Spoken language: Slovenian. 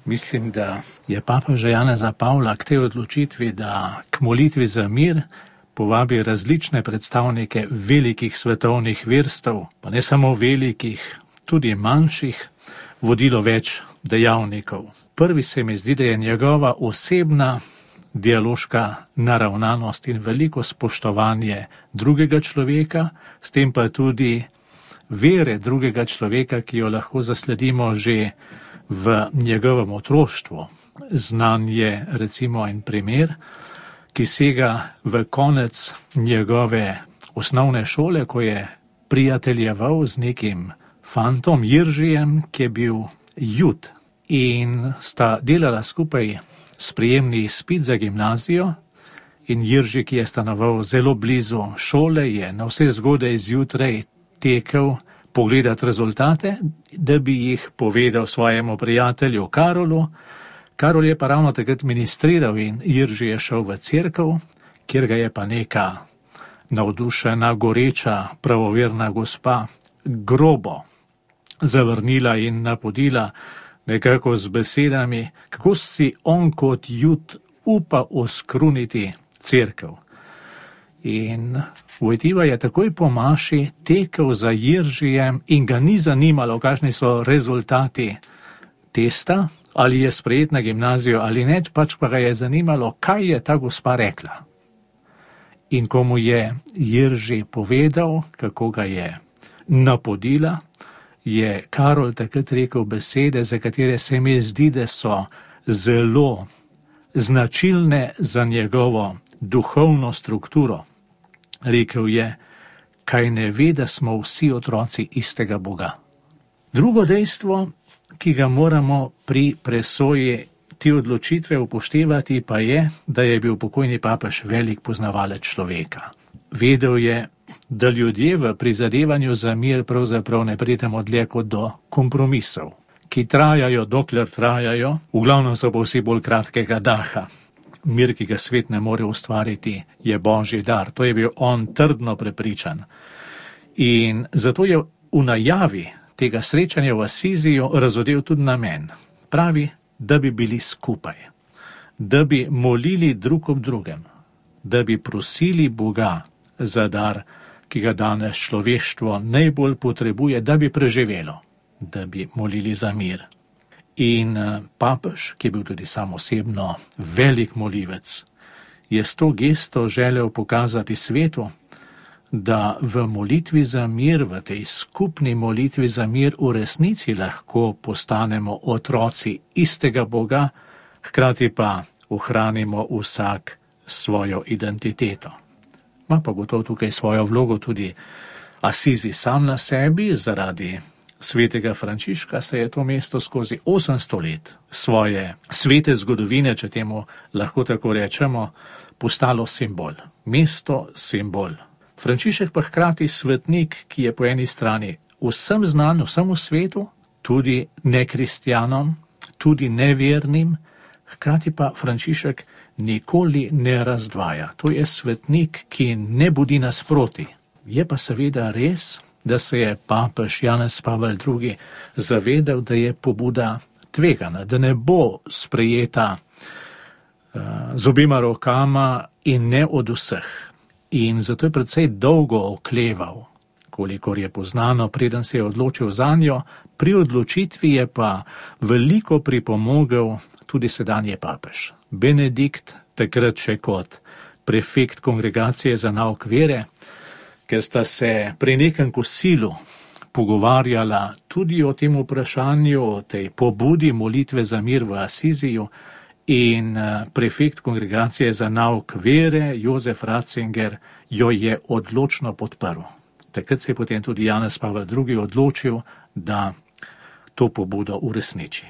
Mislim, da je papeža Janeza Pavla k tej odločitvi, da k molitvi za mir povabi različne predstavnike velikih svetovnih verstev, pa ne samo velikih, tudi manjših, vodilo več dejavnikov. Prvi se mi zdi, da je njegova osebna dialoška naravnanost in veliko spoštovanje drugega človeka, s tem pa tudi vere drugega človeka, ki jo lahko zasledimo že v njegovem otroštvu. Znan je recimo en primer, ki sega v konec njegove osnovne šole, ko je prijateljeval z nekim fantom Jiržijem, ki je bil Jud, in sta delala skupaj sprejemni izpit za gimnazijo, in Jirži, ki je stanoval zelo blizu šole, je na vse zgodaj zjutraj tekel pogledati rezultate, da bi jih povedal svojemu prijatelju Karolu. Karol je pa ravno takrat ministriral in Jirži je šel v cerkev, kjer ga je pa neka navdušena, goreča, pravoverna gospa grobo zavrnila in napodila nekako z besedami, kako si on kot Jud upa oskruniti cerkev. In Vojtiva je takoj po maši tekel za Jiržijem in ga ni zanimalo, kakšni so rezultati testa, ali je sprejet na gimnazijo ali ne, pač pa ga je zanimalo, kaj je ta gospa rekla. In ko mu je Jirži povedal, kako ga je napodila, je Karol takrat rekel besede, za katere se mi zdi, da so zelo značilne za njegovo duhovno strukturo. Rekel je, kaj ne ve, da smo vsi otroci istega Boga. Drugo dejstvo, ki ga moramo pri presoji te odločitve upoštevati, pa je, da je bil pokojni papež velik poznavalec človeka. Vedel je, da ljudje v prizadevanju za mir pravzaprav ne pridemo dlje kot do kompromisov, ki trajajo, dokler trajajo, v glavnem so pa vsi bolj kratkega daha. Mir, ki ga svet ne more ustvariti, je božji dar. To je bil on trdno prepričan. In zato je v najavi tega srečanja v Asiziju razodel tudi namen. Pravi, da bi bili skupaj, da bi molili drug ob drugem, da bi prosili Boga za dar, ki ga danes človeštvo najbolj potrebuje, da bi preživelo, da bi molili za mir. In papež, ki je bil tudi sam osebno velik molivec, je s to gesto želel pokazati svetu, da v molitvi za mir, v tej skupni molitvi za mir v resnici lahko postanemo otroci istega Boga, hkrati pa ohranimo vsak svojo identiteto. Ma pa gotovo tukaj svojo vlogo tudi Asizi sam na sebi. Zaradi svetega Frančiška se je to mesto skozi 800 let svoje svete zgodovine, če temu lahko tako rečemo, postalo simbol. Mesto simbol. Frančišek pa hkrati svetnik, ki je po eni strani vsem znan, vsemu svetu, tudi nekristjanom, tudi nevernim, hkrati pa Frančišek nikoli ne razdvaja. To je svetnik, ki ne budi nasproti. Je pa seveda res, da se je papež Janez Pavel II. Zavedal, da je pobuda tvegana, da ne bo sprejeta z obima rokama in ne od vseh. In zato je precej dolgo okleval, kolikor je poznano, preden se je odločil zanjo. Pri odločitvi je pa veliko pripomogel tudi sedanji papež. Benedikt, takrat še kot prefekt kongregacije za nauk vere, ker sta se pri nekem kosilu pogovarjala tudi o tem vprašanju, o tej pobudi molitve za mir v Asiziju, in prefekt kongregacije za nauk vere, Jozef Ratzinger, jo je odločno podprl. Takrat se je potem tudi Janez Pavel II. Odločil, da to pobudo uresniči.